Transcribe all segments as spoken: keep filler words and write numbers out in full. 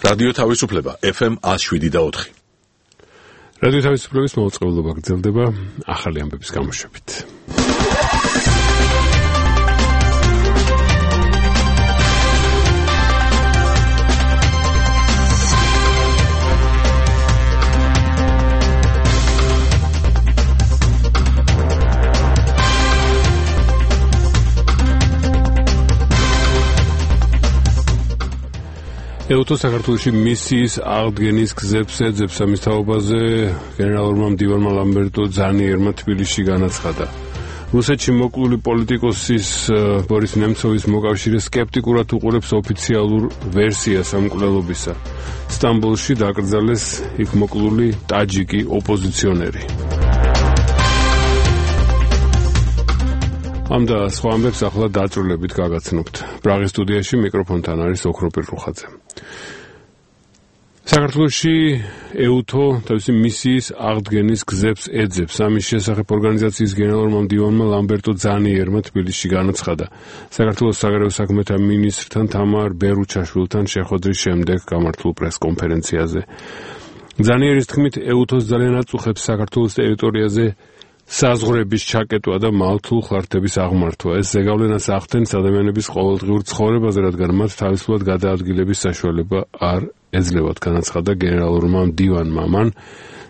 რადიო თავისუფლება ეფ ემ one oh seven და four. რადიო თავისუფლების მოუწყებლობა გრძელდება ახალი ამბების გამოშვებით. ეუთო საქართველოში მისიის აღდგენის გზებს ეძებს ამის თაობაზე გენერალურმა მდივანმა ლამბერტო ძანიერმა თბილისში განაცხადა. რუსეთში მოკლული პოლიტიკოსის ბორის ნემცოვის მოკავშირე სკეპტიკურად უყურებს ოფიციალურ ვერსიას ამ მკვლელობისა. სტამბოლში დაკრძალეს იქ მოკლული ტაჯიკი ოპოზიციონერი. ამ და სხვა ამბებს ახლა დაწვრილებით გაგაცნობთ. პრაღის სტუდიაში მიკროფონთან არის ოქროპირ რუხაძე. საქართველოში ეუთო თავისი მისიის აღდგენის გზებს ეძებს. ამის შესახებ ორგანიზაციის გენერალურმა მდივანმა ლამბერტო ძანიერმა თბილისში განაცხადა. საქართველოს საგარეო საქმეთა მინისტრთან თამარ ბერუჩაშვილთან შეხვედრის შემდეგ გამართულ პრესკონფერენციაზე. ძანიერის თქმით, ეუთოს ძალიან აწუხებს საქართველოს ტერიტორიაზე საზღვრების ჩაკეტვა და მალთულ ხარჯების აღმართვა. ეს ზეგავლენას ახდენს ადამიანების ყოველდღიურ ცხოვრებაზე, რადგან მათ თავისუფლად გადაადგილების საშუალება არ ეძლევათ, განაცხადა გენერალურმა მდივანმა. მან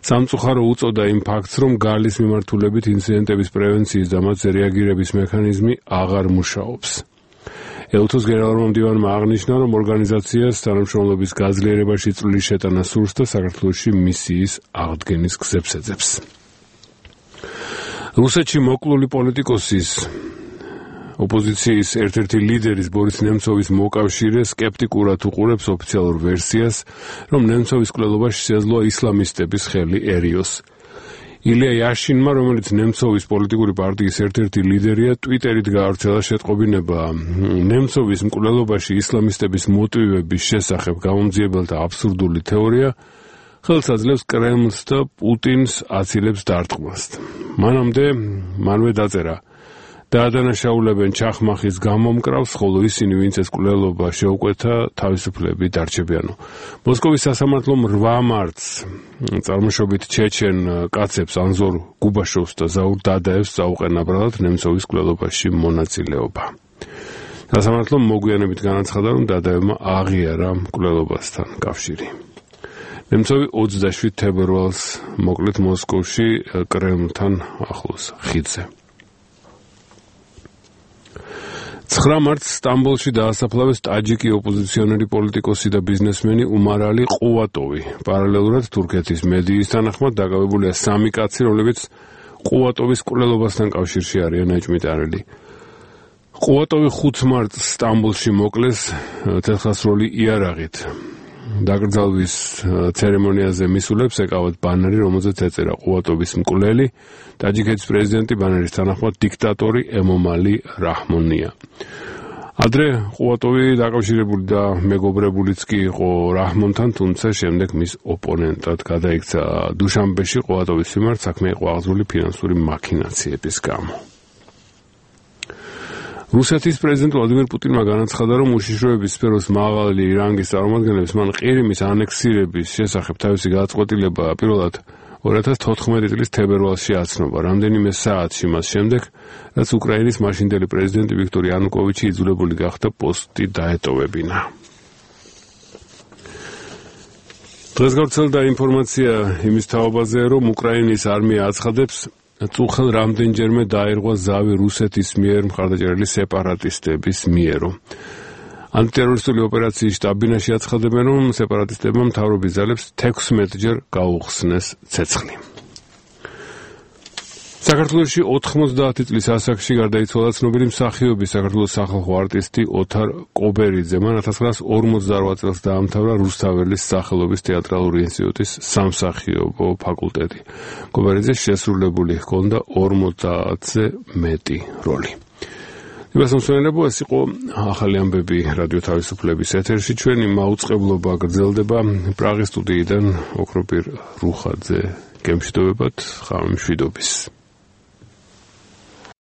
სამწუხარო უწოდა იმ ფაქტს, რომ გალის მიმართულებით ინციდენტების პრევენციის და მათზე რეაგირების მექანიზმი აღარ მუშაობს. ეუთოს გენერალურმა მდივანმა აღნიშნა, რომ ორგანიზაციას თანამშრომლობის გაძლიერებაში წვლილი შეტანა სურს და საქართველოში მისიის აღდგენის გზებს ეძებს. რუსეთში მოკლული პოლიტიკოსის ოპოზიციის ერთ-ერთი ლიდერის ბორის ნემცოვის მოკავშირე სკეპტიკურად უყურებს ოფიციალურ ვერსიას, რომ ნემცოვის მკვლელობაში შეეძლო ისლამისტების ხელი ერიოს. ილია იაშინმა, რომელიც ნემცოვის პოლიტიკური პარტიის ერთ-ერთი ლიდერია, ტვიტერით გაავრცელა შეტყობინება ნემცოვის მკვლელობაში ისლამისტების მოტივების შესახებ გამომძიებელთა აბსურდული თეორია ხელს აძლევს კრემლს და პუტინს აცილებს დარტყმას. მანამდე მანვე დაწერა დაადანაშაულებენ ჩახმახის გამომკრავს, ხოლო ისინი, ვინც ეს მკვლელობა შეუკვეთა, თავისუფლები დარჩებიანო. მოსკოვის სასამართლომ რვა მარტს წარმოშობით ჩეჩენ კაცებს ანზორ გუბაშოვს და ზაურ დადაევს წაუყენა ბრალად ნემცოვის მკვლელობაში მონაწილეობა. სასამართლომ მოგვიანებით განაცხადა, რომ დადაევმა აღიარა მკვლელობასთან კავშირი. ნემცოვი ოცდაშვიდ თებერვალს მოკლედ მოსკოვში კრემლთან ახლოს ხიდზე. ცხრა მარტს სტამბოლში დაასაფლავეს ტაჯიკი ოპოზიციონერი პოლიტიკოსი და ბიზნესმენი უმარალი ყუატოვი. პარალელურად თურქეთის მედიის თანახმად დაკავებულია სამი კაცი, რომლებიც ყუატოვის მკვლელობასთან კავშირში არიან ეჭვმიტანილი. ყუატოვი ხუთ მარტს სტამბოლში მოკლეს ცეცხლსროლი იარაღით. დაკრძალვის ცერემონიაზე მისულებს ეკავათ ბანერი, რომელზეც ეწერა ყუატოვის მკვლელი, ტაჯიკეთის პრეზიდენტი, ბანერის თანახმად დიქტატორი ემომალი რაჰმონია. ადრე ყუატოვი დაკავშირებული და მეგობრებულიც კი იყო რაჰმონთან, თუმცა შემდეგ მის ოპონენტად გადაიქცა. დუშანბეში ყუატოვის მიმართ საქმე იყო აღძრული ფინანსური მაქინაციების გამო. რუსეთის პრეზიდენტ ვლადიმერ პუტინმა განაცხადა, რომ უშიშროების სფეროს მაღალი რანგის წარმომადგენლებს მან ყირიმის ანექსირების შესახებ თავისი გადაწყვეტილება პირველად ორი ათას თოთხმეტი წლის თებერვალში აცნობა, რამდენიმე საათში მას შემდეგ, რაც უკრაინის მაშინდელი პრეზიდენტი ვიქტორ იანუკოვიჩი იძულებული გახდა პოსტი დაეტოვებინა. დღეს გავრცელდა ინფორმაცია იმის თაობაზე, რომ უკრაინის არმია აცხადებს, წუხელ რამდენჯერმე დაირღვა ზავი რუსეთის მიერ მხარდაჭერილი სეპარატისტების მიერო. ანტიტერორისტული ოპერაციის შტაბ-ბინაში აცხადებენ, რომ სეპარატისტებმა მთავრობის ძალებს თექვსმეტჯერ გაუხსნეს ცეცხლი. საქართველოში ოთხმოცდაათი წლის ასაკში გარდაიცვალა ცნობილი მსახიობი საქართველოს სახალხო არტისტი ოთარ კობერიძე. მან ათას ცხრაასი ორმოცდარვա წელს დაამთავრა რუსთაველის სახელობის თეატრალური ინსტიტუტის სამსახიობო ფაკულტეტი. კობერიძეს შესრულებული ჰქონდა ორმოცდაათზე მეტი როლი. იმასამსვენებო, ეს იყო ახალი ამბები რადიო თავისუფლების ეთერში. ჩვენი მაუწყებლობა გრძელდება პრაღის სტუდიიდან ოქროპირ რუხაძე გემშვიდობებად, ხამშვიდობის.